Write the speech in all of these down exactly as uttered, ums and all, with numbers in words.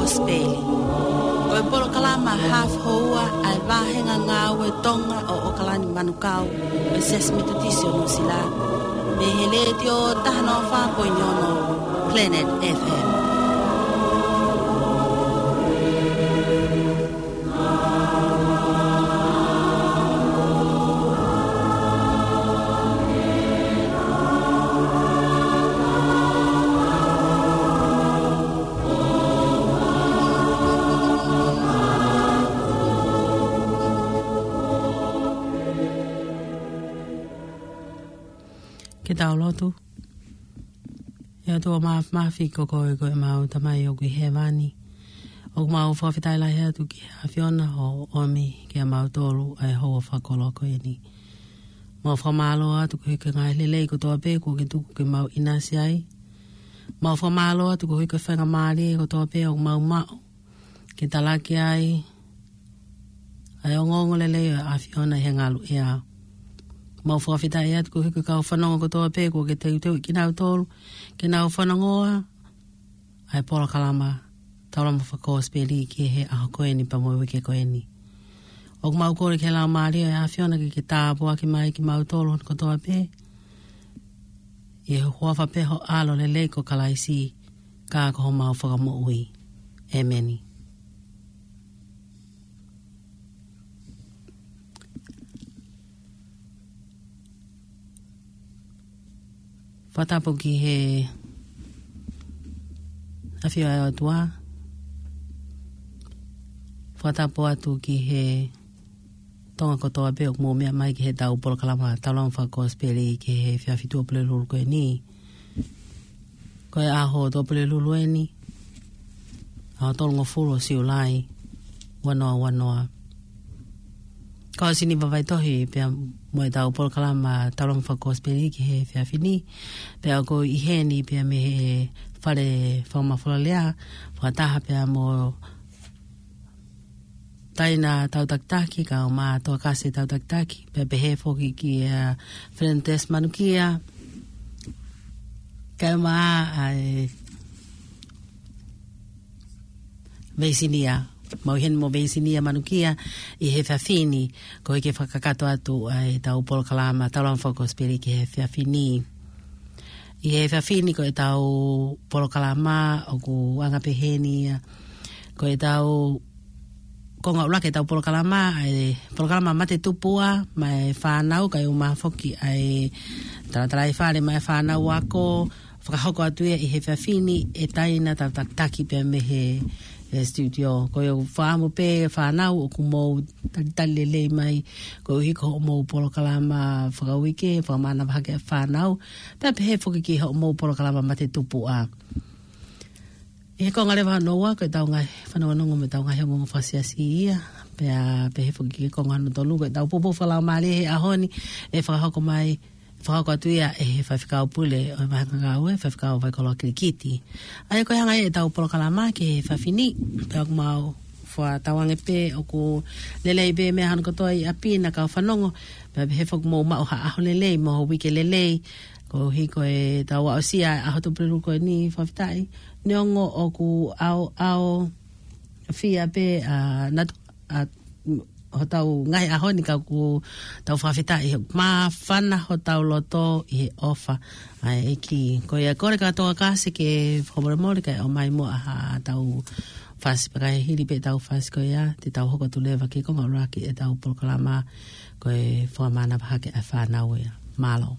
Kosipeli. Ko e polokalama hafu houa ʻa e vāhenga ngāue Tonga ʻo ʻOkalani Manukau, ʻo e Siasi Metotisi ʻo Nuʻusila, mei he Letiō taha noa fā poini ono Planet F M. Ke tau lotu. ʻE ʻOtua Māfimafi, ko koe ko ʻemau Tamai ʻoku ʻi hēvani. ʻOku mau fakafetaʻi lahi atu ki he ʻAfiona hoʻo ʻomi kiate kimautolu ʻa e houa fakakoloa ko eni. Mau fakamālō atu koeʻuhi ko e ngaahi lelei kotoa pē kuo ke tuku ke mau ʻinasi ai. Mau fakamālō atu koeʻuhi ko e faingamālie kotoa pē ʻoku mau maʻu ke talaki ai ʻa e ongoongolelei ʻo e ʻAfiona ʻi he ngaluʻea. Mau fakafetaʻi atu koeʻuhi ko e kau fanongo kotoa pē kuo ke teuteuʻi kinautolu ke nau fanongoa ʻa e polokalama Taulama Fakakosipeli ki he ʻaho ko eni pea mo e uike ko eni. ʻOku mau kole ki he Laumālie ʻo e ʻAfiona ke ke tāpuaki mai kimautolu kotoa pē, ʻi he huafa pē ho ʻAlo lelei ko Kalaisi, ka ko homau Fakamoʻui. ʻEmeni. Fakatapu ki he ʻAfio ʻa e ʻOtua. Fakatapu atu ki he Tonga kotoa pē ʻoku mou meʻa mai ki heʻetau polokalama Taulama Fakakosipeli ki he efiafi Tuʻapulelulu ko eni. Ko e ʻaho Tuʻapulelulu eni, ʻaho tolungofulu ʻo Siulai, ua noa ua noa. Ko au Siniva Vaitohi pea mo ʻetau polokalama Taulama Fakakosipeli ki he efiafi ni, pea ʻoku ou ʻi heni pea mei he fale fakamafola lea, fakataha pea mo Taina Tautakitaki, kau Matoakase Tautakitaki, pea pehē foki kia Fernandes Manukia, kau mai ʻa e Veisinia, mau ʻi heni mo Veisinia Manukia ʻi he efiafi ni, koeʻuhi ke fakakakato atu ʻa ʻetau polokalama Taulama Fakakosipeli ki he efiafi ni. ʻI he efiafi ni ko ʻetau polokalama ʻoku anga pehē ni ia. Ko ʻetau konga ʻuluaki ʻetau polokalama, ʻa e polokalama Mate Tupuʻa maʻa e fānau, kae ʻumaʻā foki ʻa e talatalaifale maʻa e fānau ako, fakahoko atu ia ʻi he efiafi ni ʻe Taina Tautakitaki pea mei he, e, studio. Ko e fakaʻamu pē fānau ʻoku mou talitali lelei mai koeʻuhi ko hoʻomou polokalama fakauike, fakamānava hake ʻa e fānau, pea pehē foki ki hoʻomou polokalama Mate Tupuʻa. ʻI he konga leva hono ua, ko ʻetau ngaahi fanongonongo mo ʻetau ngaahi ongoongo fakasiasi ia, pea pehē foki ki he konga hono tolu, ko ʻetau poupou fakalaumālie he ʻaho ni, ʻe fakahoko mai, fakahoko atu ia ʻe he Faifekau Pule ʻo e Vāhenga Ngāue, Faifekau Vaikoloa Kilikiti. ʻA ia ko e hanga ia ʻetau polokalama ki he efiafi ni, pea ʻoku mau fakatauange pē ʻoku lelei pē meʻa hono kotoa ʻi ʻapi na kau fanongo, pea pehē foki mou maʻu ha ʻaho lelei, mo ha uike lelei, koeʻuhi ko ʻetau aʻusia ʻa e ʻaho Tuʻapulelulu ko eni, fakafetaʻi. Neongo ʻoku ʻaoʻao fia pē, ʻa, natu, ʻa, hotau ngaahi ʻaho ni ka ʻoku tau fakafetaʻi he māfana hotau loto ʻi he ʻofa ʻa e ʻEiki. Ko ia kole ka Tautakitaki ke fakamolemole kae ʻomai muʻa haʻatau fasi pea ka hili pē ʻetau fasi ko ia, te tau hoko atu leva ki he konga ʻuluaki ʻetau polokalama ko e fakamānava hake ʻa e fānau ia. Mālō.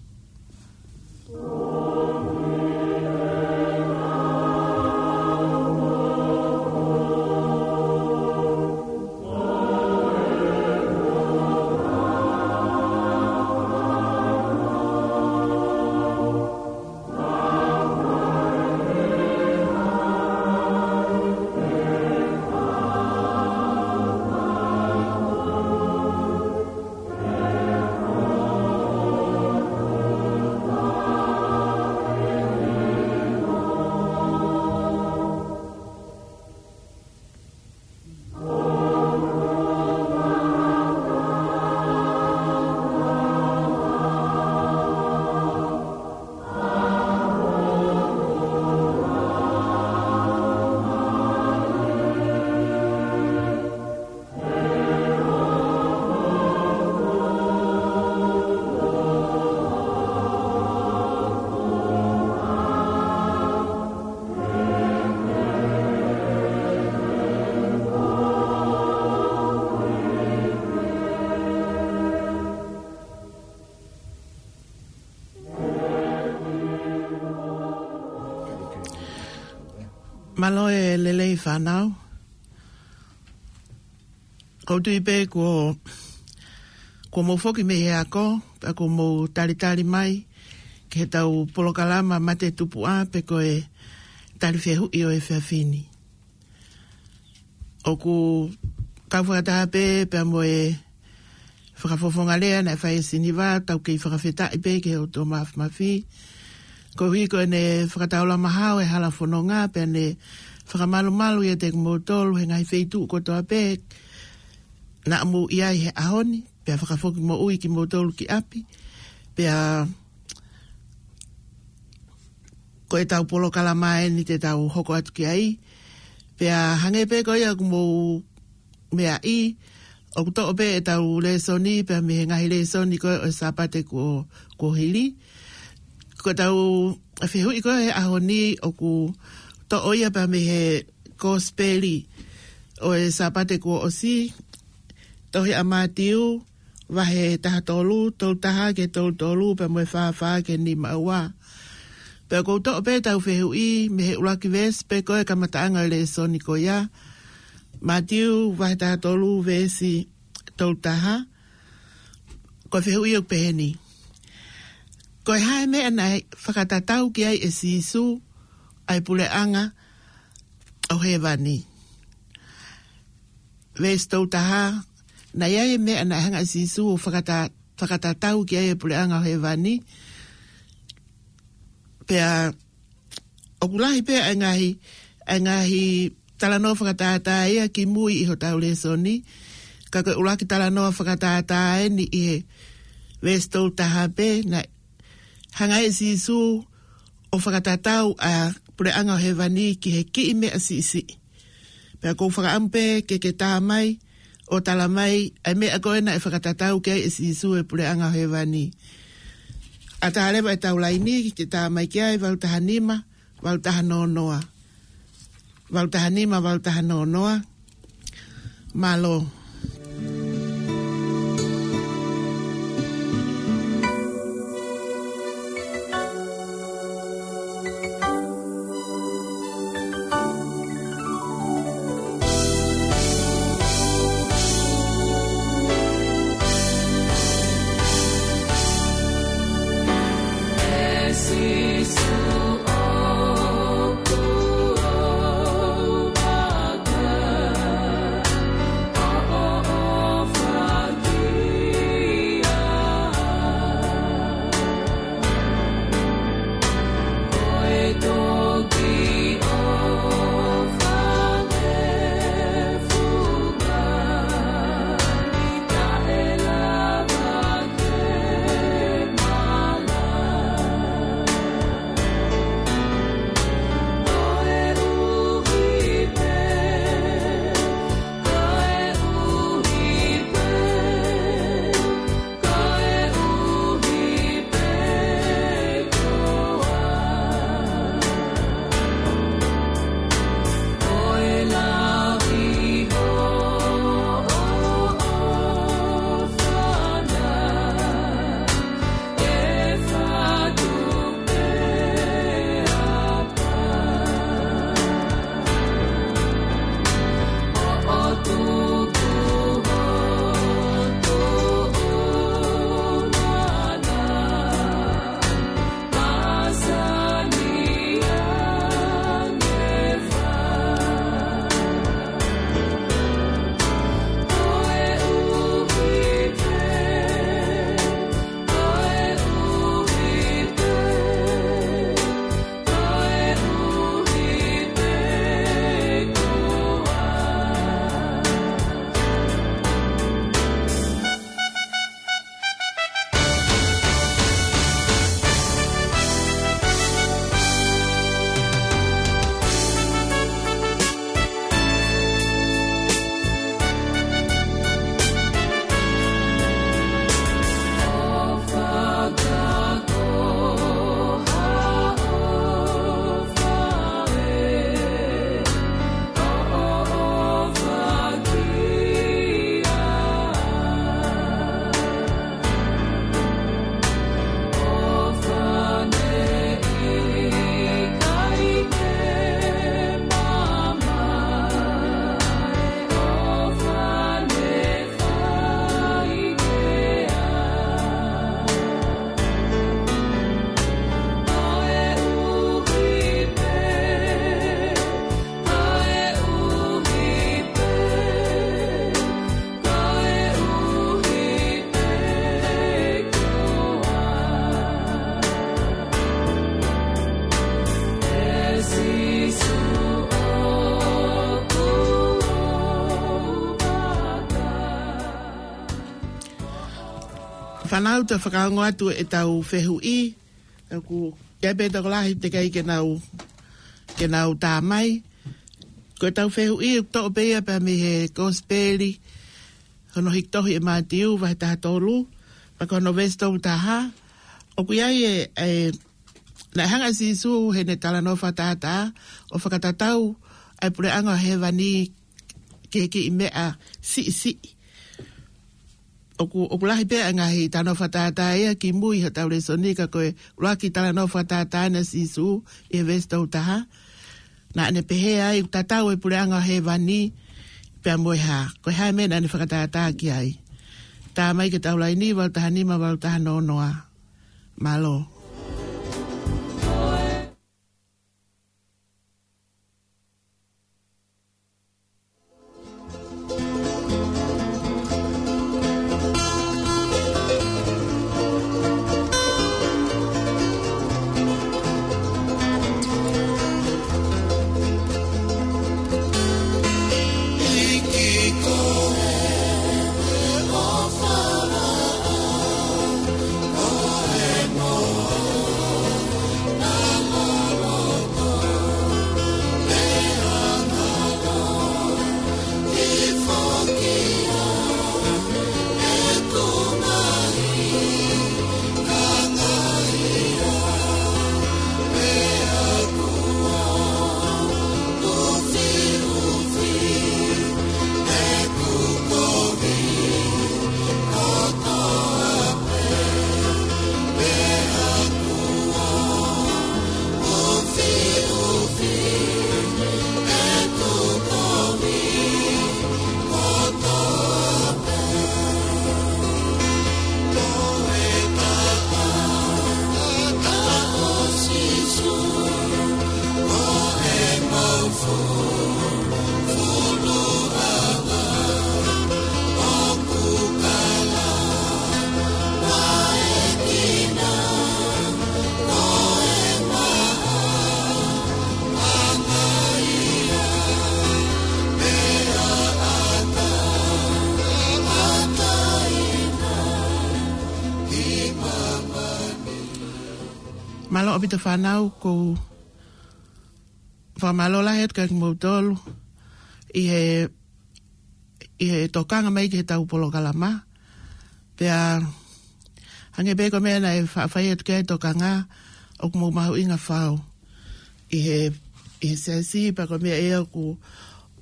Mālō e lelei fānau. Ko u tui pē kuo, kuo mou foki mei he ako, pea kuo mou talitali mai ki heʻetau polokalama Mate Tupuʻa pe ko e tali fehuʻi ʻo e efiafi ni. ʻOku kau fakataha pē pea mo e fakafofonga lea naʻe fai ʻe Siniva, tau kei fakafetaʻi pē ki he ʻOtua Mafimafi. Koeʻuhi ko ʻene fakataulama hao e hala fononga, pea ne fakamalumalu ʻiate kimoutolu he ngaahi feituʻu kotoa pē naʻa mou ʻi ai he ʻaho ni, pea fakafoki moʻui kimoutolu ki ʻapi. Pea ko ʻetau polokalama eni te tau hoko atu ki ai. Pea hangē pē ko ia ʻoku mou meaʻi, ʻoku toʻo pē ʻetau lēsoni pea mei he ngaahi lēsoni ko ē ʻo e Sāpate kuo, kuo hili. Ko ʻetau fehuʻi ko ē he ʻaho ni ʻoku toʻo ia pea mei he Kosipeli ʻo e Sāpate kuo ʻosi, tohi ʻa Mātiu, vahe taha tolu, tolu taha ki he tolu tolu, pea mo e fā fā ki he nima ua. Pea ʻoku ou toʻo pē ʻetau fehuʻi mei he ʻuluaki veesi pē ko ē kamataʻanga ʻo e lēsoni ko ia. Mātiu vahe taha tolu veesi tolu taha. Ko e fehuʻi ʻoku pehē ni: Ko e hā e meʻa naʻe fakatatau ki ai ʻe Sīsū ʻa e puleʻanga ʻo hēvani? Veesi tolu taha, naʻe ʻi ai e meʻa naʻe hanga ʻe Sīsū ʻo fakata-, fakatatau ki ai e puleʻanga ʻo hēvani. Pea ʻoku lahi pē ʻa e ngaahi, ʻa e ngaahi talanoa fakatātā ia kimui ʻi hotau lēsoni. Ka ko e ʻuluaki talanoa fakatātā eni ʻi he veesi tolu taha pē, naʻe hanga ʻe Sīsū ʻo fakatatau ʻa e puleʻanga ʻo hēvani ki he kiʻi meʻa siʻisiʻi. Pea ʻoku ou fakaʻamu pē ke ke tā mai ʻo tala mai ʻa e meʻa ko ē naʻe fakatatau ki ai ʻe Sīsū e puleʻanga ʻo hēvani. ʻAtā leva ʻetau laini ke tā mai ki ai, valu taha nima, valu taha noa noa. Valu taha nima, valu taha noa noa. Mālō. Fānau, te u fakaongo atu ʻetau fehuʻi, ʻoku ʻi ai pē tokolahi teʻeki ai ke nau, ke nau tā mai. Ko ʻetau fehuʻi ʻoku toʻo pē ia pea mei he Kosipeli hono hiki tohi ʻe Mātiu vahe taha tolu, pea ko hono veesi tolu taha. ʻOku ʻi ai e, e, naʻe hanga ʻe Sīsū heʻene talanoa fakatātā ʻo fakatatau ʻa e puleʻanga ʻo hēvani ki he kiʻi meʻa siʻisiʻi. ʻOku, ʻoku lahi pē ʻa e ngaahi talanoa fakatātā ia kimui hotau lēsoni, ka ko e ʻuluaki talanoa fakatātā ʻa Sīsū ʻi he veesi tolu taha. Naʻa ne pehē ai ʻoku tatau e puleʻanga ʻo hēvani pea mo e hā. Ko e hā e meʻa naʻa ne fakatātā ki ai. Tā mai ki he tau laini, valu taha nima, valu taha noa noa. Mālō. Mālō ʻaupito fānau, ʻoku ou fakamālō lahi atu kiate kimoutolu ʻi he, ʻi he tokanga mai ki heʻetau polokalama. Pea hangē pē ko e meʻa naʻe faʻa fai atu ki ai e tokanga, ʻoku mou mahuʻinga fau ʻi he, ʻi he siasi, pea ko e meʻa ia ʻoku,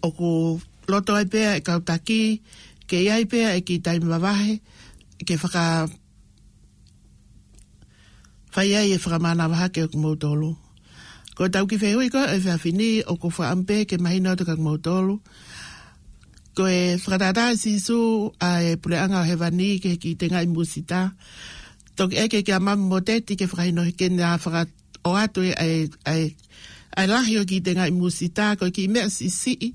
ʻoku loto ai pē ʻa e kau taki ke ʻi ai pē ʻa e kiʻi taimi mavahe ke faka- fai ai e fakamānava hake ʻo kimoutolu. Ko ʻetau kiʻi fehuʻi ko ē he efiafi ni, ʻoku ou fakaʻamu pē ke mahino atu kiate kimoutolu. Ko e fakatātā ʻe Sīsū ʻa e puleʻanga ʻo hēvani ki he kiʻi tengaʻi musita. Toki ʻeke kia Mami Moteti ke fakahinohino ke na fakaʻoatu ʻa e, ʻa e, ʻa e lahi ʻo e kiʻi tengaʻi musita, ko e kiʻi meʻa siʻisiʻi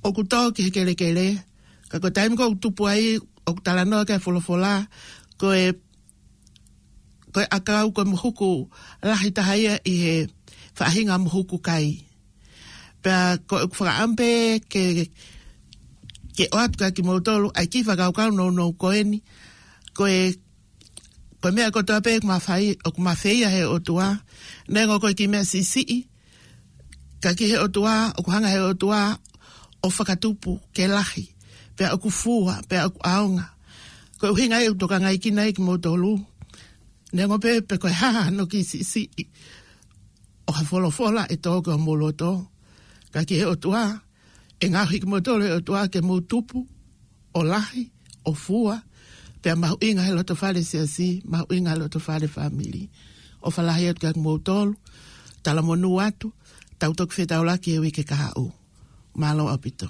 ʻoku tō ki he kelekele. Ka ko e taimi ko ē ʻoku tupu ai, ʻoku talanoa ki ai e folofola, ko e ko e ʻakau, ko e mohuku lahi taha ia ʻi he faʻahinga mohuku kai. Pea ko ʻeku fakaʻamu pē ke, ke ʻoatu kiate kimoutolu ʻa e kiʻi fakakaukau nounou ko eni. Ko e, ko e meʻa kotoa pē ʻoku ma fai, ʻoku ma feia he ʻOtua. Neongo ko e kiʻi meʻa siʻisiʻi, ka ki he ʻOtua, ʻoku hanga he ʻOtua ʻo fakatupu ke lahi, pea ʻoku fua, pea ʻoku ʻaonga. Ko e ʻuhinga ia ʻoku tokangaʻi kinautolu. Neongo pē pe ko e hā hano kiʻi siʻisiʻi ʻo ha folofola ʻe tō ki homou loto, ka ki he ʻOtua, ʻe ngaohi kimoutolu ʻe he ʻOtua ke mou tupu, ʻo lahi, ʻo fua, pea mahuʻinga he loto fale siasi, mahuʻinga he loto fale fāmili. ʻOfa lahi atu kiate kimoutolu, talamonū atu, tau toki fetaulaki he uike kahaʻu. Mālō ʻaupito.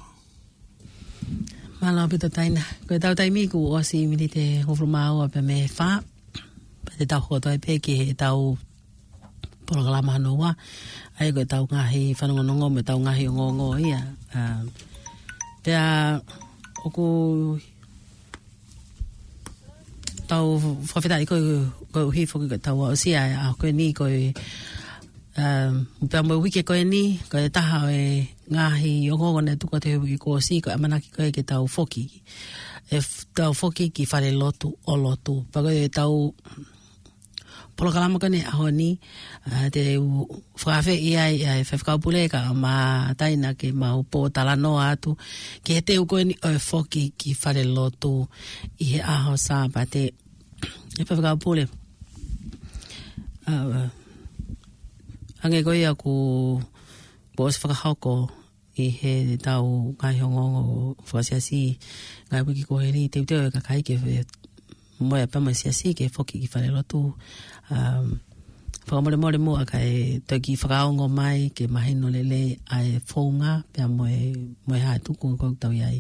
Mālō ʻaupito Taina. Ko ʻetau taimi kuo ʻosi miniti ʻe hongofulu mā ua pea mei he fā. Pea te tau hoko atu ai pē ki heʻetau polokalama hono ua. ʻA ia ko ʻetau ngaahi fanongonongo mo ʻetau ngaahi ongoongo ia. ʻA, pea ʻoku tau fakafetaʻi ko e, koeʻuhi foki ko ʻetau aʻusia ʻa e ʻaho ko eni ko e, um, pea mo e uike ko eni, ko e taha ʻo e ngaahi ongoongo naʻe tuku atu he uike kuo ʻosi, ko e ʻamanaki ko ē ke tau foki ʻe f-, tau foki ki fale lotu ʻo lotu. Pea ko e tau polokalama ko eni ʻaho ni, ʻa, te u fakaafeʻi ai ʻa e Faifekau Pule kae ʻumaʻā Taina ke mau pōtalanoa atu ki he teu ko eni ʻo e foki ki fale lotu ʻi he ʻaho Sāpate. ʻE Faifekau Pule. ʻA, hangē ko ia kuo, kuo ʻosi fakahoko ʻi he tau ngaahi ongoongo fakasiasi ngaahi uike kuo hili, teuteu e kakai ke fe-, mo e pea mo e siasi ke foki ki fale lotu. Um, fakamolemole muʻa kae toki fakaongo mai ke mahino lelei ʻa e founga pea mo e, mo e hā e tuku ko ʻetau ʻi ai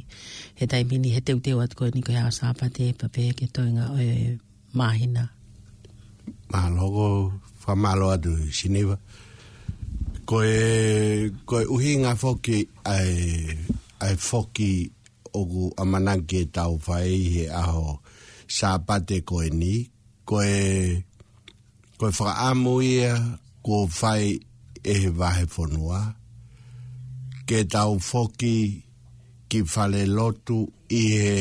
he taimi ni he teuteu atu ko eni ko e ʻaho Sāpate pea pehē ki he toenga ʻo e māhina. Mālō, ko e fakamālō atu Siniva. Ko e, ko e ʻuhinga foki ʻa e, ʻa e foki ʻoku ʻamanaki ke tau fai he ʻaho Sāpate ko eni, ko e, ko e fakaʻamu ia kuo fai ʻe he vahefonua ke tau foki ki fale lotu ʻi he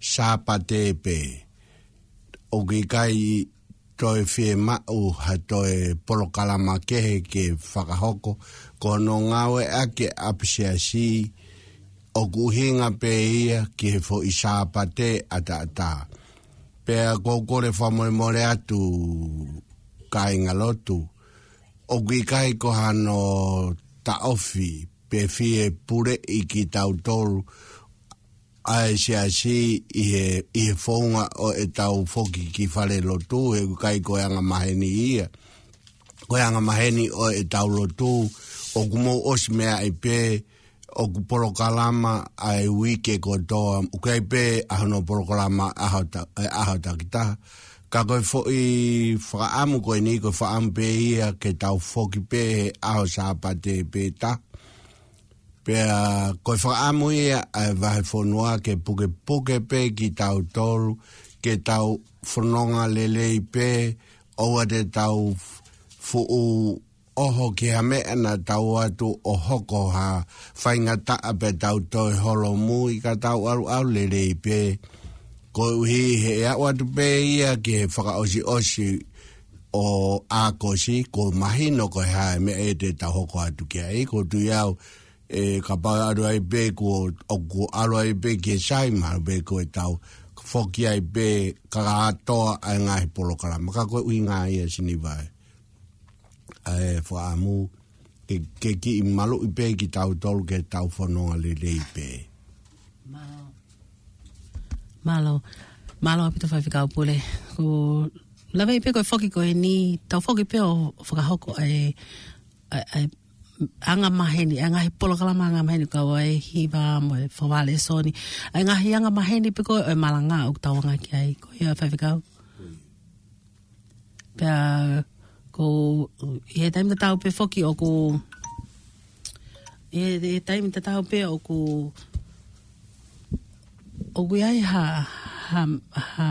Sāpate pē. ʻOku ʻikai toe fiemaʻu ha toe polokalama kehe ke fakahoko, ko hono ngāueʻaki ʻa e ʻapisiasi ʻoku ʻuhinga pē ia ki he foʻi Sāpate ʻataʻatā. Pea ʻoku ou kole fakamolemole atu kāinga lotu, ʻoku ʻikai ko hano taʻofi pe fie puleʻi kitautolu ʻa e siasi ʻi he, ʻi he founga ʻo ʻetau foki ki fale lotu, he ʻoku ʻikai ko e angamaheni ia. Ko e angamaheni ʻo ʻetau lotu, ʻoku mou ʻosi meaʻi pē, ʻoku polokalama ʻa e uike kotoa, ʻoku ʻi ai pē ʻa hono polokalama ʻaho ta-, ʻe ʻaho takitaha. Ka ko e foʻi fakaʻamu ko eni, ko e fakaʻamu pē ia ke tau foki pē he ʻaho Sāpate pē taha. Pea ko e fakaʻamu ia ʻa e vahefonua ke pukepuke pē kitautolu, ke tau fononga lelei pē, ʻoua te tau fuʻu ʻoho ki ha meʻa naʻa tau ʻoatu ʻo hoko ha faingataʻa pea tau toe holomui, ka tau ʻaluʻalu lelei pē. Koeʻuhi he ʻe aʻu atu pē ia ki he fakaʻosiʻosi ʻo ʻAokosi, kuo mahino ko e hā e meʻa ʻe te tau hoko atu ki ai, ko e tui au, ʻe kapau ʻe ʻalu ai pē kuo, ʻoku ʻalu ai pē ki he sai, mahalo pē ko e tau foki ai pē kātoa ʻa e ngaahi polokalama. Ka ko e ʻuhinga ia Siniva ē. ʻA e fakaʻamu, ke, ke kiʻi maluʻi pē kitautolu ke tau fononga lelei pē. Mālō. Mālō. Mālō ʻaupito Faifekau Pule. Ko e lave pē ko e foki ko eni, tau foki pē ʻo fakahoko ʻa e, ʻa e, ʻa e angamaheni, ʻa e ngaahi polokalama angamaheni kau ai hiva mo e fakavalesoni. ʻA e ngaahi angamaheni pē ko e malanga ʻoku tau anga ki ai. Ko ia Faifekau. Pea ko ʻi he taimi tatau pē foki ʻoku, ʻi he, ʻi he taimi tatau pē ʻoku, ʻoku ʻi ai ha, ha, ha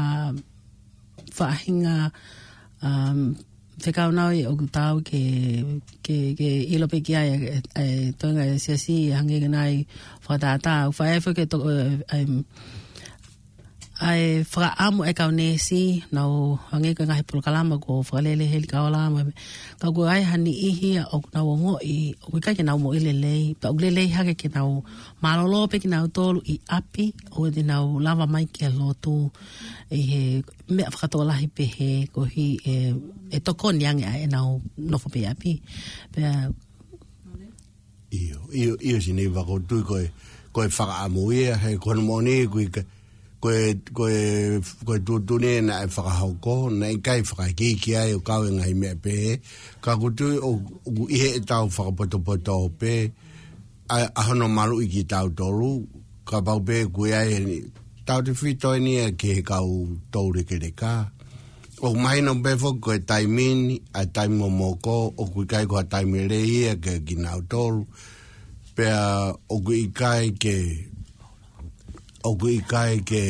faʻahinga, um, fekau nau ʻi ʻoku tau ke, ke, ke ʻilo pē ki ai, e, e, toenga e siasi, hangē ko e ngaahi fakatātā, ʻoku fai ai foki e to-, e, e, ʻa e fakaʻamu ʻa e kau neesi, nau hangē ko e ngaahi polokalama ko Fakalele Heli Kaola, mo e, ka ʻoku ʻi ai ha niʻihi ia ʻoku nau ongoʻi, ʻoku ʻikai ke nau moʻui lelei, pea ʻoku lelei hake ke nau mālōlō pē kinautolu ʻi ʻapi, ʻoua te nau lava mai ki he lotu, ʻi he meʻa fakatokolahi pehē, koeʻuhi ʻe, ʻe tokoni ange ʻa ʻenau nofo pē ʻi ʻapi. Pea ʻIo, ʻio, ʻio, Siniva, ʻoku ou tui ko e, ko e fakaʻamu ia, he ko hono moʻoni, ko e, ko e, ko e, ko e tuʻutuʻuni naʻe fakahoko, naʻe ʻikai fakaikiiki ai ʻo kau e ngaahi meʻa pehē, ka ʻoku ou tui ʻo, ʻoku ʻi heʻetau fakapotopoto pē, ʻa, ʻa hono maluʻi kitautolu, kapau pē ʻoku ʻi ai eni, tautefito eni ia ki he kau toulekeleka. ʻOku mahino pē foki ko e taimi ni, ʻa e taimi momoko, ʻoku ʻikai ko ha taimi lelei ia kia kinautolu. Pea ʻoku ʻikai ke, ʻoku ʻikai ke,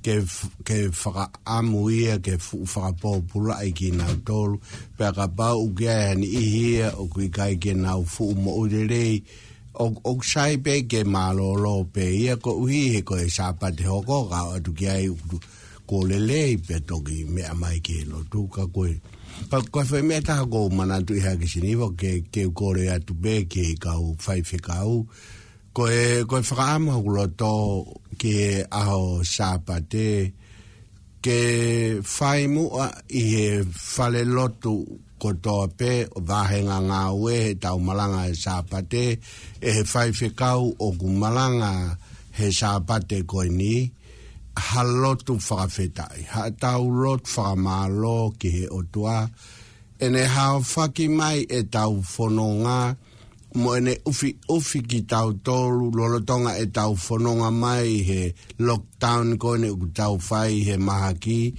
ke f-, ke fakaʻamu ia, ke fuʻu fakapōpulaʻi kinautolu. Pea kapau ʻoku ʻi ai ha niʻihi ia, ʻoku ʻikai ke nau fuʻu moʻui lelei, ʻOku sai pē ke mālōlō pē ia koeʻuhi he ko e Sāpate hoko, ka ʻoatu ki ai ʻoku lelei pē toki meʻa mai ki he lotu ka ko e. Ka ko e foʻi meʻa taha ʻoku ou manatuʻi hake Siniva ke, ke u kole atu pē ki he kau faifekau. Ko e, ko e fakaʻamu hoku loto ki he ʻaho Sāpate, ke fai muʻa ʻi he fale lotu kotoa pē, vahenga ngāue he tau malanga he Sāpate, ʻe he faifekau ʻoku malanga he Sāpate ko eni, ha lotu fakafetaʻi, ha tau lotu fakamālō ki he ʻOtua, ʻene haofaki mai e tau fononga, mo ʻene ʻufiʻufi kitautolu, lolotonga e tau fononga mai he lockdown ko eni ʻoku tau fai he mahaki,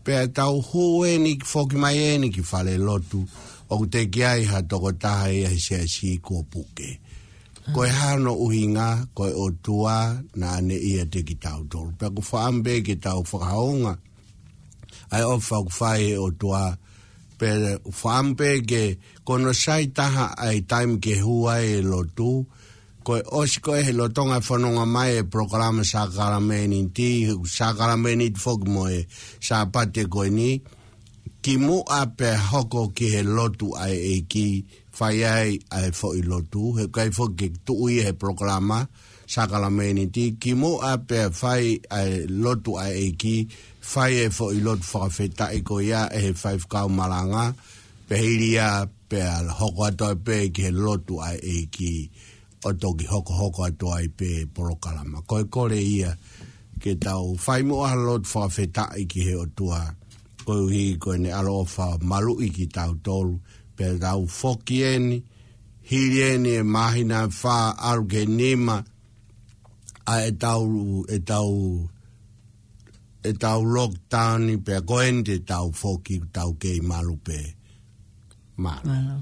pea tau hū eni foki mai eni ki fale lotu, ʻoku teʻeki ai ha tokotaha ia he siasi kuo puke. Ko e hā hono ʻuhinga, ko e ʻOtua naʻa ne ʻiate kitautolu. Pea ʻoku fakaʻamu pē ke tau fakahounga ʻa e ʻofa ʻoku fai he ʻOtua, pea fakaʻamu pē ke ko hono sai taha ʻa e taimi ke hū ai e lotu, ko e ʻosi ko ē he lolotonga e fononga mai e polokalama sākalamēniti, sākalamēniti foki mo e Sāpate ko eni, kimuʻa pea hoko ki he lotu ʻa e ʻEiki, fai ai ʻa e foʻi lotu, he ʻikai foki ke tuʻu ia he polokalama sākalamēniti, kimuʻa pea fai ʻa e lotu ʻa e ʻEiki, fai e foʻi lotu fakafetaʻi ko ia ʻe he faifekau malanga, pea hili ia pea hoko atu ai pē ki he lotu ʻa e ʻEiki, ʻo toki hokohoko atu ai pē polokalama. Ko e kole ia ke tau fai muʻa ha lotu fakafetaʻi ki he ʻOtua, koeʻuhi ko ʻene ʻaloʻofa maluʻi kitautolu, pea tau foki eni, hili eni e māhina ʻe fā ʻalu ki he nima, ʻa e tau, e tau, e tau lockdown ni pea ko eni te tau foki tau kei malu pē. Mālō. Mālō.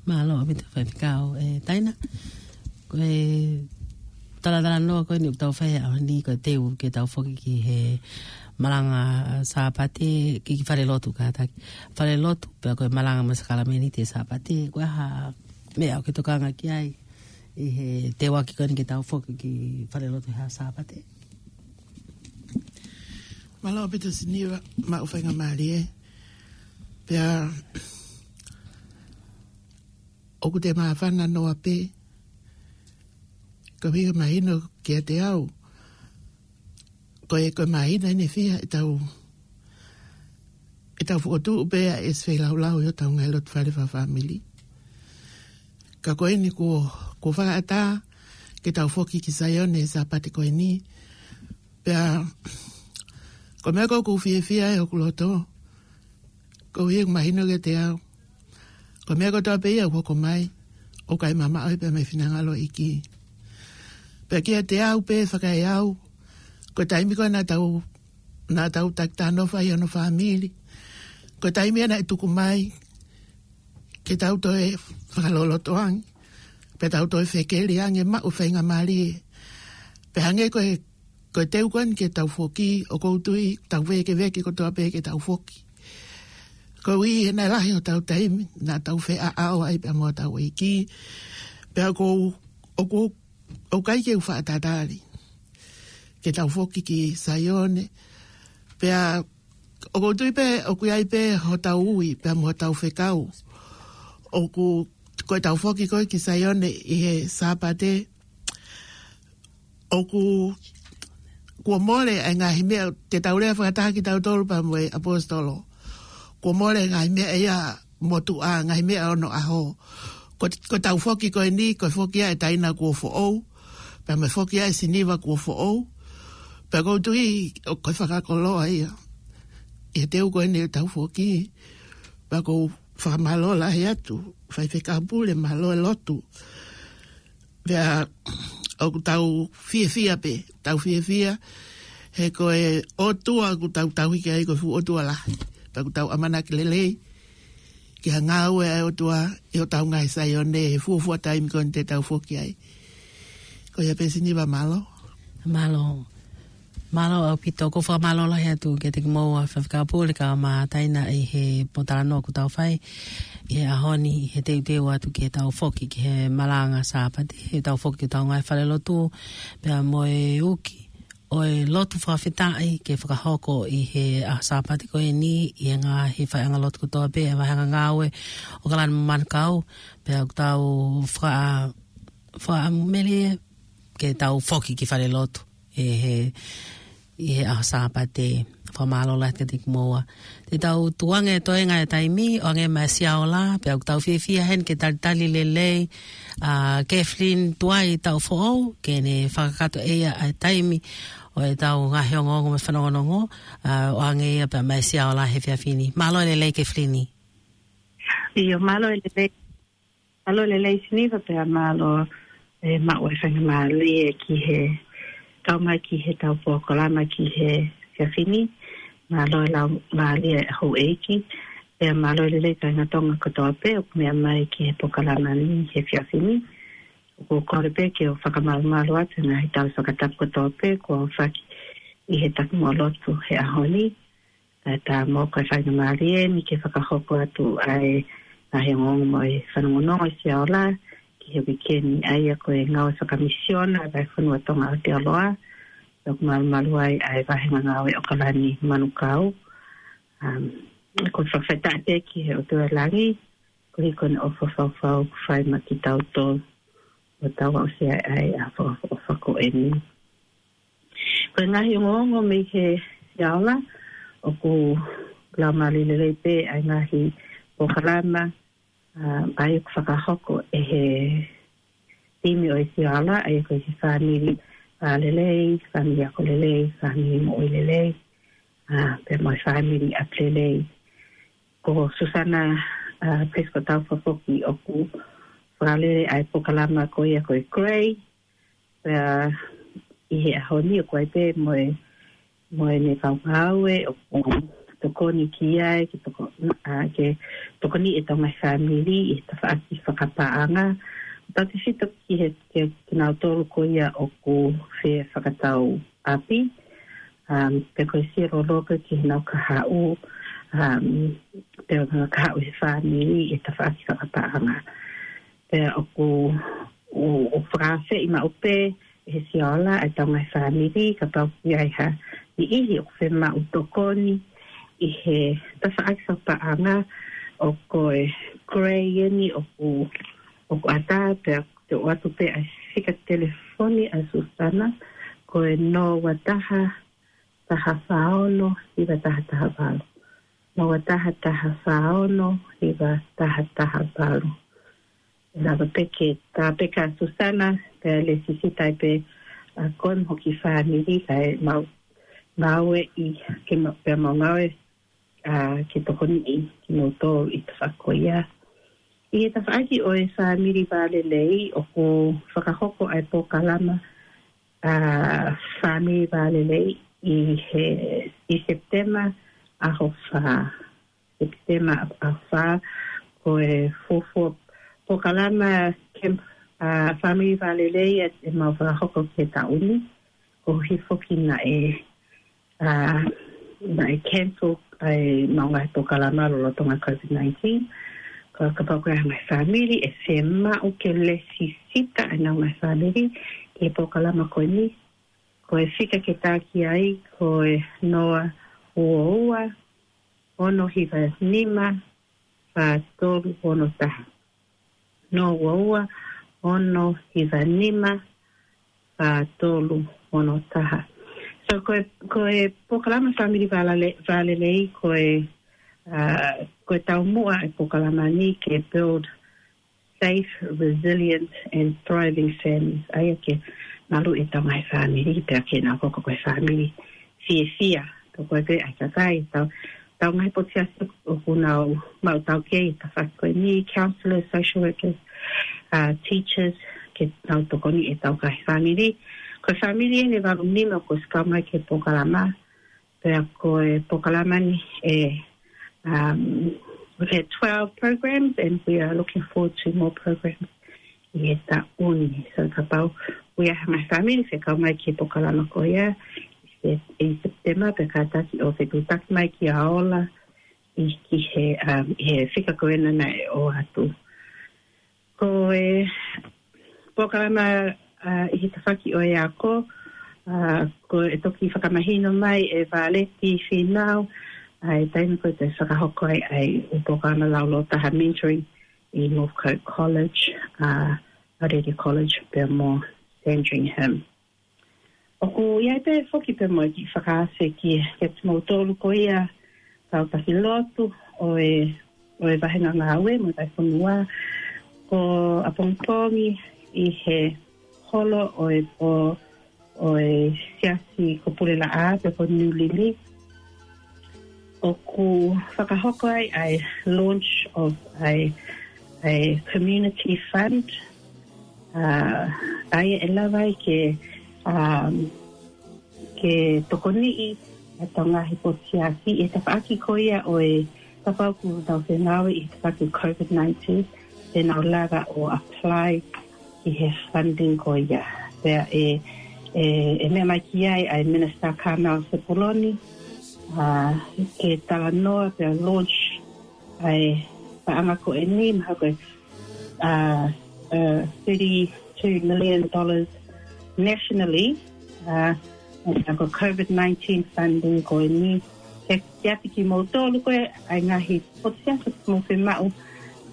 Mālō ʻaupito faifekau, ē, Taina. Ko e talatalanoa ko eni ʻoku tau fai he ʻaho ni ko e teu ke tau foki ki he malanga Sāpate, ki, ki fale lotu kātaki. Fale lotu, pea ko e malanga mo e sākalamēniti he Sāpate, ko e hā e meʻa ʻoku ke tokanga ki ai ʻi he teuaki ko eni ke tau foki ki fale lotu he Sāpate. Mālō ʻaupito Siniva, maʻu faingamālie. Pea ʻoku te māfana noa pē, koeʻuhi ko e mahino kiate au, ko e, ko e māhina ʻe fiha ʻe tau, ʻe tau fokotuʻu pē ʻa e ʻesi feilaulau ʻi hotau ngaahi lotu fale fakafāmili. Ka ko eni kuo, kuo fakaʻatā ke tau foki ki Saione he Sāpate ko eni. Pea, ko e meʻa ʻoku ou fiefia ai hoku loto, koeʻuhi ʻoku mahino kiate au, ko e meʻa kotoa pē ia ʻoku hoko mai, ʻoku ʻikai mamaʻo ia pē mei he finangalo ʻo e ʻEiki. Pea kiate au pē fakaeau, ko e taimi ko ē naʻa tau, naʻa tau taki talanoa ai hono fāmili, ko e taimi ia naʻe tuku mai ke tau toe fakalolotoange, pea tau toe fekeli ange, maʻu faingamālie. Pea hangē ko e, ko e teu ko eni ke tau foki, ʻoku ou tui tau vēkeveke kotoa pē ke tau foki. Koeʻuhi he naʻe lahi hotau taimi naʻa tau feʻaʻao ai pea mo hotau ʻEiki. Pea ʻoku ou, ʻoku ou, ʻoku ʻikai ke u fakatatali ke tau foki ki Saione. Pea ʻoku ou tui pē, ʻoku ʻi ai pē hotau ui, pea mo hotau fekau. ʻOku, ko ʻetau foki ko ē ki Saione ʻi he Sāpate, ʻoku, kuo mole ʻa e ngaahi meʻa, te tau lea fakataha kitautolu pea mo e ʻaposetolo. Kuo mole ngaahi meʻa ia motuʻa, ngaahi meʻa ono ʻaho. Ko, ko ʻetau foki ko eni, ko e foki ia ʻe Taina kuo foʻou, pea mo e foki ia ʻe Siniva kuo foʻou. Pea ʻoku ou tui, ʻoku ou fakakoloa ia ʻi he teu ko eni ʻetau foki. Pea ʻoku ou fakamālō lahi atu, faifekau pule, mālō e lotu. Pea ʻoku tau fiefia pē, tau fiefia, he ko e ʻOtua ʻoku tau tauhi ki ai ko e fuʻu ʻOtua lahi. Pea ʻoku tau ʻamanaki lelei ki ha ngāue ʻa e ʻOtua ʻi hotau ngaahi Saione he fuofua taimi ko eni te tau foki ai. Ko ia pē Siniva, mālō. Mālō. Mālō ʻaupito, ʻoku ou fakamālō lahi atu kiate kimoua Faifekau Pule kae ʻumaʻā Taina ʻi he pōtalanoa kuo tau fai ʻi he ʻaho ni, ʻi he teuteu atu ke tau foki ki he malanga Sāpate, he tau foki ki hotau ngaahi falelotu, pea mo e uki ʻo e lotu fakafetaʻi ke fakahoko ʻi he ʻaho Sāpate ko eni ʻi he ngaahi faiʻanga lotu kotoa pē ʻa e vaheʻanga ngāue ʻo ʻOkalani mo Manukau, pea ʻoku tau faka-, fakamelie ke tau foki ki falelotu ʻi he, ʻi he ʻaho Sāpate. Fakamālō lahi kiate kimoua. Te tau tukuange e toenga e taimi, ʻo hangē mai ʻa Siaola, pea ʻoku tau fiefia heni ke talitali lelei ʻa Kathleen Tuai Taʻufoʻou, ke ne fakakakato ʻe ia ʻa e taimi ʻo ʻetau ngaahi ongoongo mo e fanongonongo, ʻa, ʻo hangē ia pea mai ʻa Siaola he efiafi ni. Mālō e lelei Kathleen. ʻIo, mālō e lelei. Mālō e lelei Siniva pea mālō e maʻu e faingamālie ki he kau mai ki heʻetau polokalama ki he efiafi ni. Mālō e laumālie e houʻeiki. Pea mālō e lelei kāinga Tonga kotoa pē ʻoku meʻa mai ki he polokalama ni he efiafi ni. ʻOku ou kole pē ke u fakamalumalu atu he ngaahi tala fakatapu kotoa pē kuo aofaki ʻi he takimuʻa lotu he ʻaho ni. Kae ʻatā mo e faingamālie ni ke fakahoko atu ʻa e ngaahi ongoongo mo e fanongonongo ʻa Siaola ki he uike ni, ʻa ia ko e ngāue fakamisiona ʻa e Vahefonua Tonga ʻo Aotearoa. ʻOku malumalu ai ʻa e vaheʻanga ngāue ʻOkalani Manukau. Um, ʻoku ou fakafetaʻi pē ki he ʻOtua ʻi langi, koeʻuhi ko ʻene ʻofa faufaua ʻoku fai maʻa kitautolu ʻo tau aʻusia ai ʻa e fakaʻofoʻofa ko eni. Ko e ngaahi ongoongo mei he Siaola, ʻoku laumālie lelei pē ʻa e ngaahi polokalama, ʻa, ʻa ia ʻoku fakahoko ʻe he timi ʻo e Siaola, ʻa ia ko e fāmili vālelei, fāmili ako lelei, fāmili moʻui lelei, ʻa, pea mo e fāmili ʻapi lelei. Ko Susana, ʻa, Prescott Taufa foki ʻoku fakalele ʻa e polokalama ko ia ko e Grey, pea ʻi he ʻaho ni ʻoku ʻi ai pē mo e, mo ʻene kau ngāue ʻoku tokoni ki ai, ke toko-, ʻa, ke tokoniʻi ʻetau ngaahi fāmili ʻi he tafaʻaki fakapaʻanga. Tautefito ki he, ke, kinautolu ko ia ʻoku fie fakatau ʻapi, um, pe ko e sio loloto ki heʻenau kahaʻu, um, pe ko ʻenau kahaʻu he fāmili ʻi he tafaʻaki fakapaʻanga. Pea ʻoku, ʻo, ʻo fakaafeʻi maʻu pē ʻe he Siaola ʻa ʻetau ngaahi fāmili, kapau ʻoku ʻi ai ha niʻihi ʻoku fiemaʻu tokoni ʻi he tafaʻaki fakapaʻanga, ʻoku ʻi ai e Grey eni ʻoku, ʻoku ʻatā, pea te u ʻoatu pē ʻa e fika telefoni ʻa Susana, ko e noa ua taha, taha fā ono, hiva taha taha valu. Noa ua taha, taha fā ono, hiva taha taha valu. Lava pē ke tā pē kia Susana, pea lēsisita ai pē ʻa koe mo hoʻo kiʻi fāmili, kae mau, mau ʻi, ke mau, pea mau ngāue, ʻa, ke tokoniʻi kinautolu ʻi he tafaʻaki ko ia. ʻI he tafaʻaki ʻo e fāmili vālelei, ʻoku fakahoko ʻa e polokalama, ʻa, fāmili vālelei ʻi he, ʻi Sepitema ʻaho fā. Sepitema ʻaho fā, ko e fuofua polokalama camp, ʻa, fāmili vālelei ʻe, ʻe mau fakahoko ki he taʻu ni, koeʻuhi foki naʻe, ʻa, naʻe cancel ʻa ʻemau ngaahi polokalama lolotonga COVID nineteen. Ko ia kapau ko e ngaahi fāmili ʻe fiemaʻu ke lēsisita ʻenau ngaahi fāmili ki he polokalama ko eni, ko e fika ke taki ai ko e noa ua ua, ono hiva nima, fā tolu ono taha. Noa ua ua, ono hiva nima, fā tolu ono taha. So, ko e, ko e polokalama fāmili vālele-, vālelei, ko e, ʻa, ko e taumuʻa e polokalama ni ke build safe, resilient and thriving families. ʻA ia ke maluʻi ʻetau ngaahi fāmili, pea ke nau hoko ko e fāmili fiefia. Tau ko e pē ʻa e kakai, tau, tau ngaahi potu siasi ʻoku nau maʻu taukei ʻi he tafaʻaki ko eni, counselors, social workers, ʻa, teachers, ke nau tokoniʻi ʻetau ngaahi fāmili. Ko e fāmili eni ʻe valu nima ʻoku kau mai ki he polokalama, pea ko e polokalama ni ʻe, um, we've had twelve programs and we are looking forward to more programs ʻi he taʻu ni. So kapau ʻoku ʻi ai ha ngaahi fāmili fie kau mai ki he polokalama ko ia, ʻi, ʻi Sepitema pea kātaki ʻo fetuʻutaki mai kia Ola ʻi, ki he, um, ʻi he fika ko ena naʻe ʻoatu. Ko e polokalama, uh, ʻi he tafaʻaki ʻo e ako, uh, ko e toki fakamahino mai ʻe Valeti Finau, ʻa e taimi ko ē te fakahoko ai ʻa e polokalama lauloto taha mentoring ʻi Northcote College, uh, Aorere College pea mo Sandringham. ʻOku ʻi ai pē foki pē mo e kiʻi fakaafe ki, kia kimoutolu ko ia kau taki lotu ʻo e, ʻo e vahenga ngāue mo e vahefonua, ko ʻapongipongi ʻi he holo ʻo e, ʻo, ʻo e siasi ko Pulelaʻā pe ko Niu Lili. ʻOku fakahoko ai ʻa e launch of a, a community fund. Uh, ʻa ia ʻe lava ai ke, um, ke tokoniʻi ʻetau ngaahi potu siasi ʻi he tafaʻaki ko ia ʻo e kapau ʻoku nau fengāueʻi he tafaʻaki COVID nineteen, te nau lava ʻo apply ki he funding ko ia. Pea ʻe, ʻe, ʻe meʻa mai ki ai ʻa e Minister Carmel Sepuloni, uh, ke talanoa pea launch ʻa e paʻanga ko eni, mahalo ko e, uh, uh, thirty-two million dollars nationally, uh, ʻa e ko COVID nineteen funding ko eni, ke, ke ʻapi kimoutolu ko ē ʻa e ngaahi potu siasi ʻoku mou fiemaʻu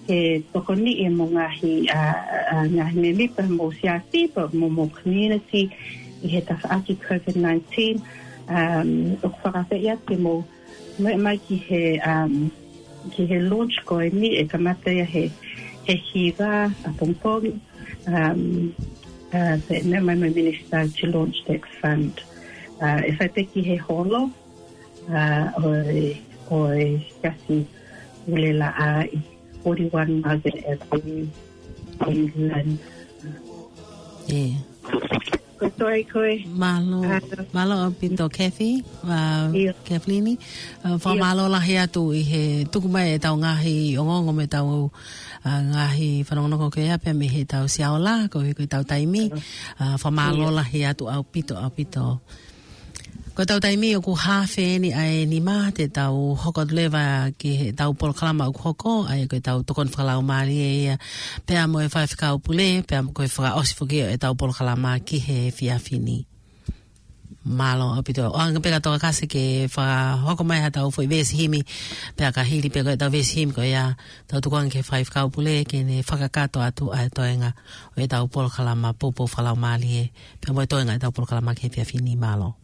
ke tokoniʻi mo e ngaahi, uh, uh, ngaahi mēmipa homou siasi pea mo homou community ʻi he tafaʻaki COVID nineteen, um, ʻoku fakaafeʻi atu ke mou meʻa mai ki he, um, ki he launch ko eni ʻe kamata ia he, he hiva ʻapongipongi, um, uh, pea meʻa mai mo e Minister to launch that fund. Uh, ʻe fai pē ki he holo, uh, ʻo e, ʻo e siasi Pulelaʻā ʻi forty-one Margaret Avenue, Queensland. ʻIo. Ko e toe ko ē. Mālō, uh, mālō ʻaupito Kathy, uh, ʻIo. Kathleen. Uh, fakamālō lahi atu ʻi he tuku mai ʻetau ngaahi ongoongo mei heʻetau, uh, ngaahi fanongonongo ko ia pea mei heʻetau Sea Ola, ko e, ko ʻetau taimi. Uh, fakamālō ʻIo. Lahi atu ʻaupito, ʻaupito. Ko ʻetau taimi ʻoku haafe eni ʻa e nima, te tau hoko atu leva ki heʻetau polokalama ʻoku hoko, ʻa ia ko ʻetau tokoni fakalaumālie ia, pea mo e Faifekau Pule, pea mo e fakaʻosi foki ʻo ʻetau polokalama ki he efiafi ni. Mālō ʻaupito. ʻOange pē ka Tokakase ke fakahoko mai haʻatau foʻi veesi himi, pea ka hili pē ko ʻetau veesi himi ko ia, tau tukuange ki he Faifekau Pule ke ne fakakakato atu ʻa e toenga ʻo ʻetau polokalama poupou fakalaumālie, pea mo e toenga ʻetau polokalama ki he efiafi ni. Mālō.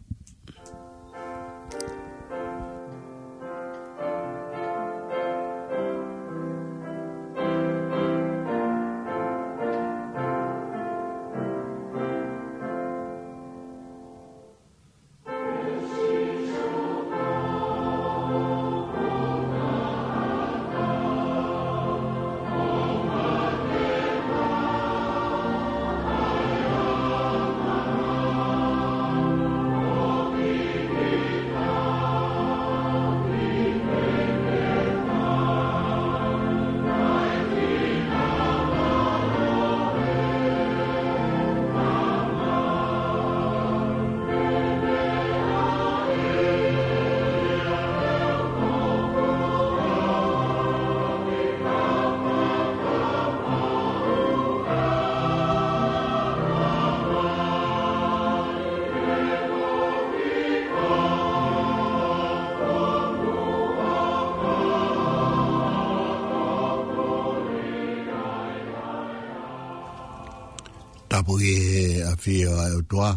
Tapu ki he ʻafio ʻa e ʻOtua.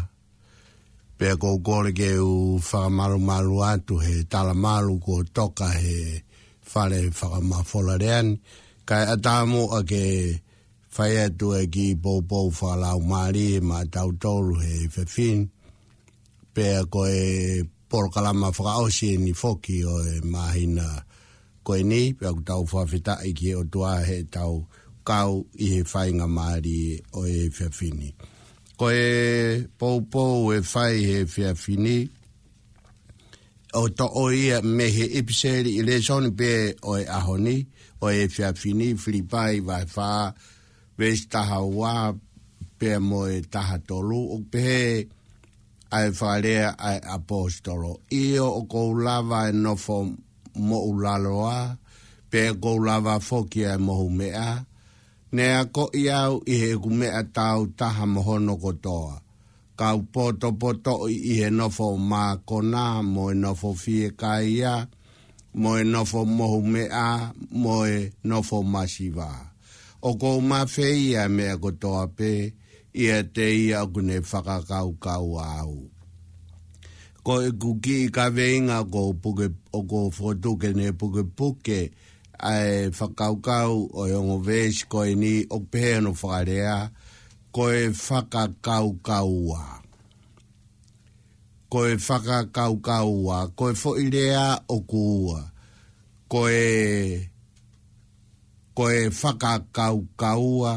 Pea ʻoku ou kole ke u fakamalumalu atu he talamalu kuo toka he fale fakamafola lea ni. Kae ʻatā muʻa ke fai atu e kiʻi poupou fakalaumālie maʻatautolu he efiafi ni. Pea ko e polokalama fakaʻosi eni foki ʻo e māhina ko eni, pea ʻoku tau fakafetaʻi ki he ʻOtua heʻetau kau ʻi he faingamālie ʻo e efiafi ni. Ko e poupou ʻe fai he efiafi ni, ʻoku toʻo ia mei he ʻipiseli ʻi he lēsoni pē ʻo e ʻaho ni, ʻo e efiafi ni, Filipai vahe fā, veesi taha ua, pea mo e taha tolu, ʻoku pehē, ʻa e fakalea ʻa e ʻaposetolo. ʻIo, ʻoku ou lava ʻa e nofo moʻulaloa, pea ʻoku ou lava foki ʻa e mohumeʻa. Ne akoʻi au ʻi heʻeku meʻa taautaha mo hono kotoa. Kau potopotoʻi ʻi he nofo mākona, mo e nofo fiekaia, mo e nofo mohumeʻa, mo e nofo masiva. ʻOku ou mafeia ʻa e meʻa kotoa pē ʻiate ia ʻoku ne fakakaukau au. Ko ʻeku kiʻi kaveinga ʻoku ou puke, ʻoku ou fokotuʻu ke ne pukepuke ʻa e fakakaukau ʻo e ongo veesi ko eni, ʻoku pehē hono fakalea, ko e fakakaukaua. Ko e fakakaukaua, ko e foʻi lea ʻoku ua. Ko e, ko e fakakaukaua,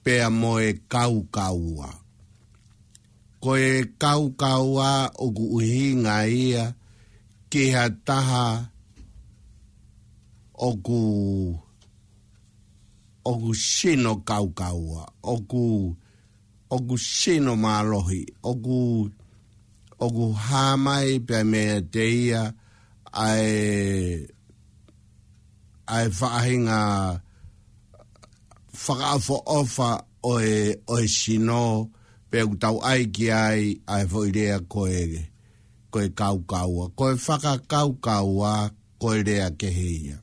pea mo e kaukaua. Ko e kaukaua ʻoku ʻuhinga ia ki ha taha ʻoku, ʻoku sino kaukaua, ʻoku, ʻoku sino mālohi, ʻoku, ʻoku hā mai pea meiate ia ʻa e, ʻa e faʻahinga fakaʻofoʻofa ʻo e, ʻo e sino, pea ʻoku tau ʻai ki ai ʻa e foʻi lea ko e, ko e kaukaua. Ko e fakakaukaua, ko e lea kehe ia.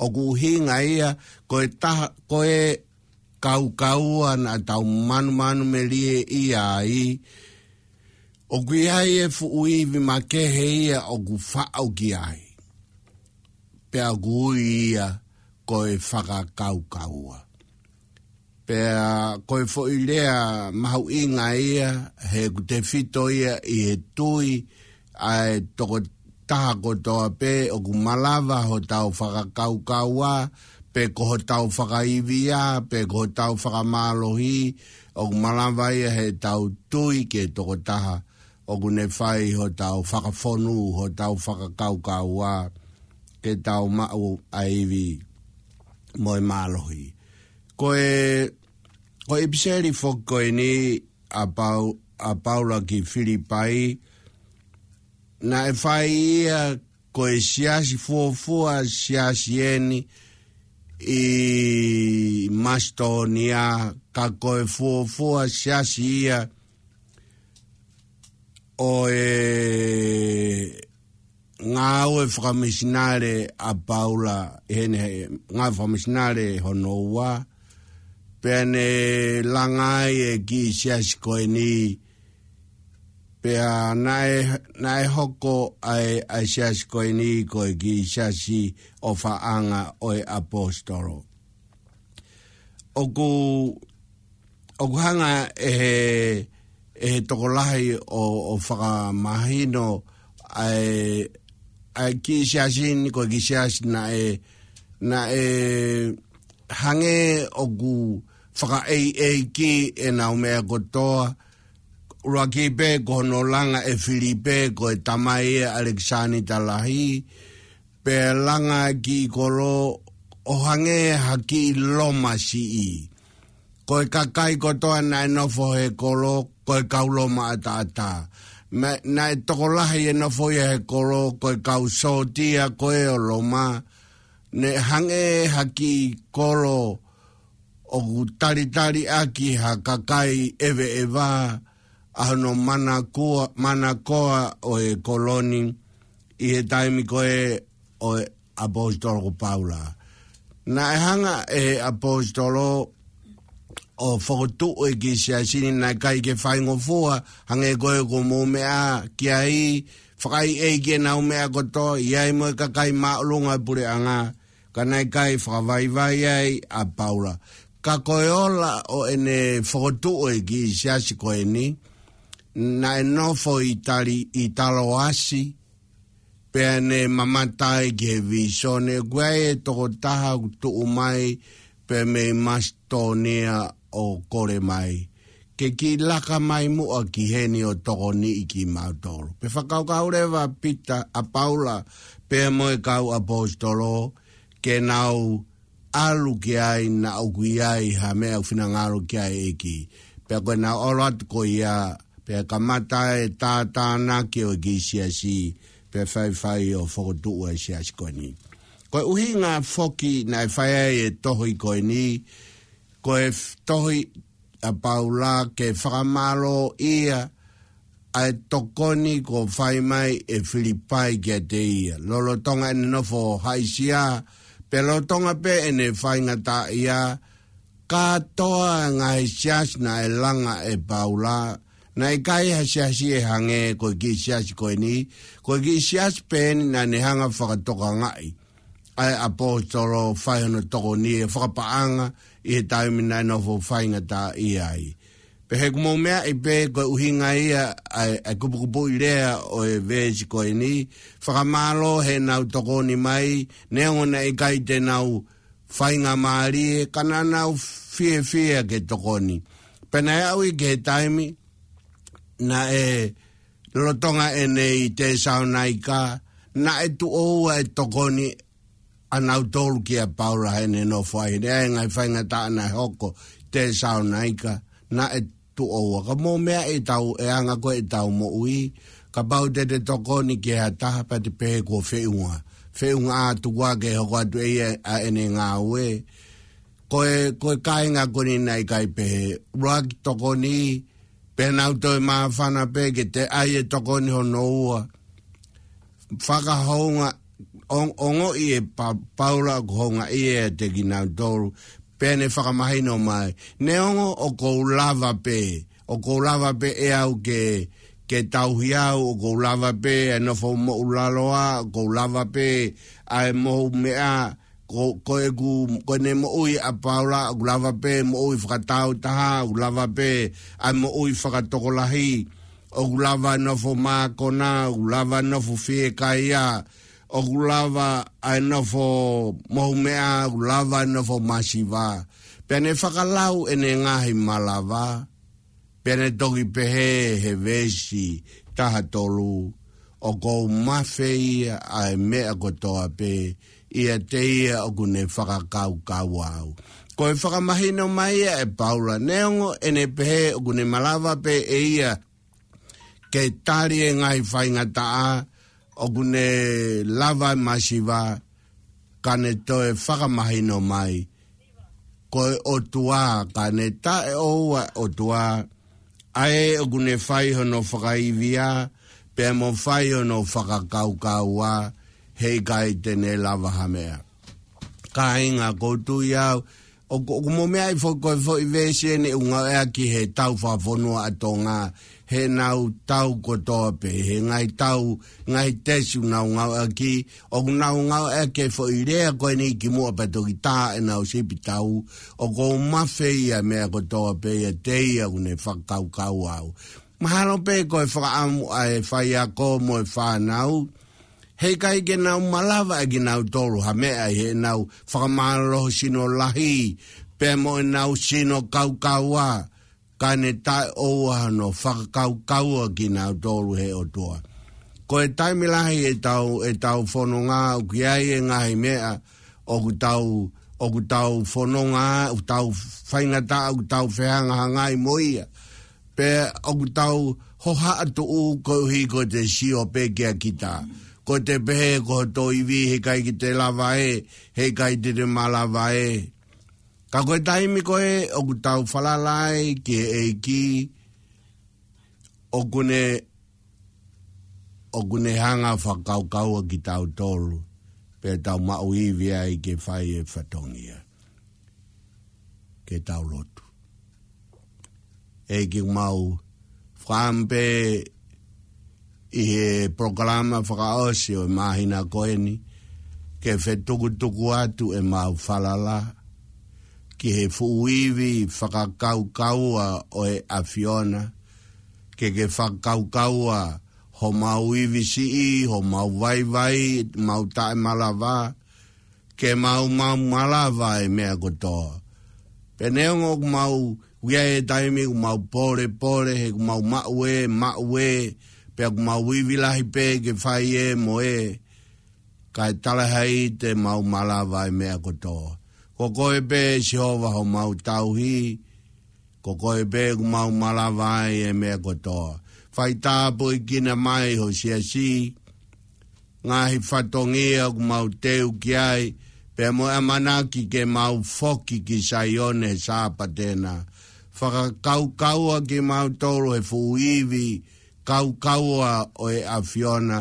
ʻOku ʻuhinga ia, ko e taha, ko e kaukaua naʻa tau manumanumelie ia ai, ʻoku ʻi ai e fuʻu ivi makehe ia ʻoku faʻo ki ai. Pea ʻoku ui ia ko e fakakaukaua. Pea ko e foʻi lea mahuʻinga ia, he ʻoku tefito ia ʻi he tui ʻa e tokotaha kotoa pē, ʻoku malava hotau fakakaukaua, pe ko hotau fakaivia, pe ko hotau fakamālohi, ʻoku malava ia heʻetau tui ki he tokotaha ʻoku ne fai hotau fakafonu, hotau fakakaukaua, ke tau maʻu ʻa e ivi mo e mālohi. Ko e, ko e ʻipiseli foki ko eni ʻa Pau-, ʻa Paula ki Filipai, naʻe fai ia ko e siasi fuofua siasi eni ʻi Masitōnia, ka ko e fuofua siasi ia ʻo e ngāue fakamisinale ʻa Paula, ʻi heʻene ngāue fakamisinale hono ua, pea ne langa ai e kiʻi siasi ko eni, pea naʻe, naʻe hoko ʻa e, ʻa e siasi ko eni ko e kiʻi siasi ʻofaʻanga ʻo e ʻaposetolo. ʻOku, ʻoku hanga ʻe he, ʻe he tokolahi ʻo, ʻo fakamahino ʻa e, ʻa e kiʻi siasi ni ko e kiʻi siasi naʻe, naʻe hangē ʻoku fakaʻeiʻeiki ʻenau meʻa kotoa. ʻUluaki pē ko hono langa ʻe Filipe ko e tamai ʻa ʻAlekisānita Lahi, pea langa e kiʻi kolo ʻo hangē ha kiʻi Loma siʻi. Ko e kakai kotoa naʻe nofo he kolo, ko e kau Loma ʻataʻatā. Naʻe, naʻe tokolahi e nofo ia he kolo, ko e kau sōtia ko ē ʻo Loma. Ne hangē ha kiʻi kolo ʻoku talitali ʻaki ha kakai ʻeveʻeva, ʻa hono manakua, manakoa ʻo e kolo ni ʻi he taimi ko ē ʻo e ʻaposetolo ko Paula. Naʻe hanga ʻe he ʻaposetolo ʻo fokotuʻu e kiʻi siasi ni naʻe ʻikai ke faingofua, hangē ko ē ko e mou meʻa ki ai, fakaʻeiʻeiki ʻenau meʻa kotoa, ʻi ai mo e kakai māʻolunga puleʻanga, ka naʻe ʻikai fakavaivai ai ʻa Paula. Ka ko e ola ʻo ʻene fokotuʻu e kiʻi siasi ko eni, naʻe nofo ʻi Tali-, ʻi Taloasi, pea ne mamata ai ki he vīsone, ʻoku ʻi ai e tokotaha ʻoku tuʻu mai, pea mei Masitōnia ʻo kole mai ke kiʻi laka mai muʻa ki heni ʻo tokoniʻi kimautolu. Pea fakakaukau leva ʻa Pita, ʻa Paula, pea mo e kau ʻaposetolo, ke nau ʻalu ki ai naʻa ʻoku ʻi ai ha meʻa ʻoku finangalo ki ai e ʻEiki. Pea ko ʻenau ʻalu atu ko ia, pea kamata e tātānaki ʻo e kiʻi siasi, pea faifai ʻo fokotuʻu e siasi ko eni. Ko e ʻuhinga foki naʻe fai ai e tohi ko eni, ko e f-, tohi ʻa Paula ke fakamālōʻia ʻa e tokoni kuo fai mai ʻe Filipai kiate ia. Lolotonga ʻene nofo haʻisia, pea lolotonga pē ʻene faingataʻaʻia, kātoa e ngaahi siasi naʻe langa ʻe Paula, naʻe ʻikai ha siasi ʻe hangē ko e kiʻi siasi ko eni, ko e kiʻi siasi pē eni naʻa ne hanga fakatokangaʻi ʻa e ʻaposetolo, fai hono tokoni ʻe fakapaʻanga ʻi he taimi naʻe nofo faingataʻaʻia ai. Pea he ʻoku mou meaʻi pē ko e ʻuhinga ia ʻa e, ʻa e kupukupuʻi lea ʻo e veesi ko eni, fakamālō heʻenau tokoni mai, neongo naʻe ʻikai te nau faingamālie, ka naʻa nau fiefia ke tokoni. Pea naʻe aʻu ia ki he taimi naʻe lolotonga ʻene ʻi Tesalonaika, naʻe tuʻo ua e tokoni ʻanautolu kia Paula heʻene nofo ai, he naʻe ʻi ai e ngaahi faingataʻa naʻe hoko Tesalonaika, naʻe tuʻo ua. Ka mou meaʻi ʻetau, e anga ko ē ʻetau moʻui, kapau te te tokoni ki ha taha pea te pehē kuo feʻunga. Feʻunga atu, ʻoku ʻikai ke hoko atu ʻe ia ʻa ʻene ngāue. Ko e, ko e kāinga ko eni naʻe ʻikai pehē, ʻuluaki tokoni, pea nau toe māfana pē ke toe ʻai e tokoni hono ua. Fakahounga, ong-, ongoʻi ʻe Pa-, Paula ʻoku houngaʻia ʻiate kinautolu, pea ne fakamahino mai. Neongo ʻoku ou lava pē, ʻoku ou lava pē ʻe au ke, ke tauhi au, ʻoku ou lava pē e nofo moʻulaloa, ʻoku ou lava pē ʻa e mohu meʻa, ko, ko ʻeku, ko ʻene moʻui ʻa Paula, ʻoku lava pē moʻui fakatāutaha, ʻoku lava pē ʻa e moʻui fakatokolahi, ʻoku lava e nofo mākona, ʻoku lava e nofo fiekaia, ʻoku lava ʻa e nofo mohu meʻa, ʻoku lava e nofo masiva. Pea ne fakalau ʻene ngaahi malava, pea ne toki pehē he veesi taha tolu, ʻoku ou mafeia ʻa e meʻa kotoa pē ʻiate ia ʻoku ne fakakaukau au. Ko e fakamahino mai ia ʻe Paula, neongo ʻene pehē ʻoku ne malava pē ʻe ia ke tali e ngaahi faingataʻa, ʻoku ne lava e masiva, ka ne toe fakamahino mai, ko e ʻOtua, ka ne taʻeʻoua ʻOtua, ʻa ē ʻoku ne fai hono fakaivia, pea mo fai hono fakakaukaua, heʻikai te ne lava ha meʻa. Kāinga, ʻoku ou tui au, ʻoku, ʻoku mou meaʻi foki ko e foʻi veesi eni ʻoku ngāueʻaki he tau fakafonua ʻa Tonga, heʻenau tau kotoa pē, he ngaahi tau, ngaahi tesi ʻoku nau ngāueʻaki, ʻoku nau ngāueʻaki e foʻi lea ko eni kimuʻa pea toki tā ʻenau sipi tau, ʻoku ou mafeia e meʻa kotoa pē ʻiate ia ʻoku ne fakakaukau au. Mahalo pē ko e fakaʻamu ʻa e faiako mo e fānau, heʻikai ke nau malava ʻe kinautolu ha meʻa ʻi heʻenau fakamālohisino lahi, pea mo ʻenau sino kaukaua, ka ne taʻeʻoua hono fakakaukaua kinautolu he ʻOtua. Ko e taimi lahi ʻetau, ʻetau fononga ʻoku ʻi ai e ngaahi meʻa ʻoku tau, ʻoku tau fononga, ʻoku tau faingataʻa, ʻoku tau fehangahangai mo ia. Pea ʻoku tau hohaʻatuʻu koeʻuhi ko ʻete sio pē kia kita. Ko ʻete pehē ko hoto ivi heʻikai ke te lava ē, heʻikai te te malava ē. Ka ko e taimi ko ē ʻoku tau falala ai ki he ʻEiki, ʻoku ne, ʻoku ne hanga fakakaukaua kitautolu, pea tau maʻu ivi ai ke fai e fatongia. Ke tau lotu. ʻEiki, mau fakaʻamu pē ʻi he polokalama fakaʻosi ʻo e māhina ko eni, ke fetukutuku atu ʻemau falala ki he fuʻu ivi fakakaukaua ʻo e ʻAfiona, ke ke fakakaukaua homau ivi siʻi, homau vaivai, mau taʻemalava, ke mau, mau malava e meʻa kotoa. Pea neongo ʻoku mau ʻi ai e taimi ʻoku mau pōlepole, he ʻoku mau maʻu ē, maʻu ē, pea ʻoku mau ivi lahi pē ke fai ē mo ē, kae talaʻehai te mau malava e meʻa kotoa. Ko koe pē Sihova homau tauhi, Ko koe pē ʻoku mau malava ai e meʻa kotoa. Fai tāpuekina mai ho siasi, ngaahi fatongia ʻoku mau teu ki ai, pea mo e ʻamanaki ke mau foki ki Saione he Sāpate na. Fakakaukaua kimautolu he fuʻu ivi kaukaua ʻo e ʻAfiona,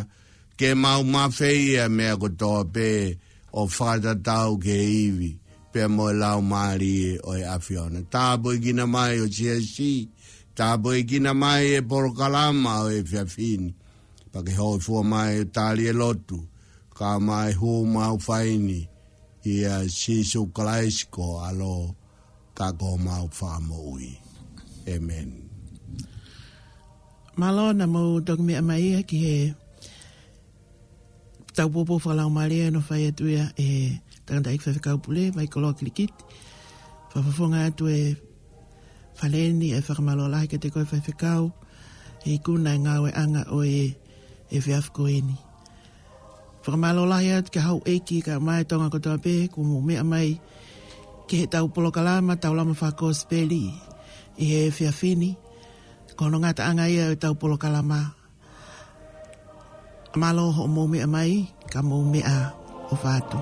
ke mau mafeia meʻa kotoa pē ʻo fakatatau ki he ivi pea mo e laumālie ʻo e ʻAfiona. Tāpuekina mai ho siasi, tāpuekina mai e polokalama ʻo e efiafi ni. Pea ke hōifua mai ʻo tali e lotu, ka mai hū mau faini ʻia Sīsū Kalaisi ko ho ʻAlo ka ko homau Fakamoʻui. ʻĒmeni. Mālō naʻa mou toki meʻa mai ia ki he tau poupou fakalaumālie naʻe fai atu ia ʻe he tangataʻeiki faifekau pule, Maikolo Kilikiti. Fakafofonga atu e fale ni e fakamālō lahi kiate koe faifekau, he ikuna e ngāueʻanga ʻo e, e efiafi ko eni. Fakamālō lahi atu ki he houʻeiki kae ʻumaʻā e Tonga kotoa pē, kuo mou meʻa mai ki he tau polokalama, tau lama fakakosipeli ʻi he efiafi ni. Ko hono ngataʻanga ia ʻo e tau polokalama. Mālō hoʻomou meʻa mai, ka mou meʻaʻofa atu.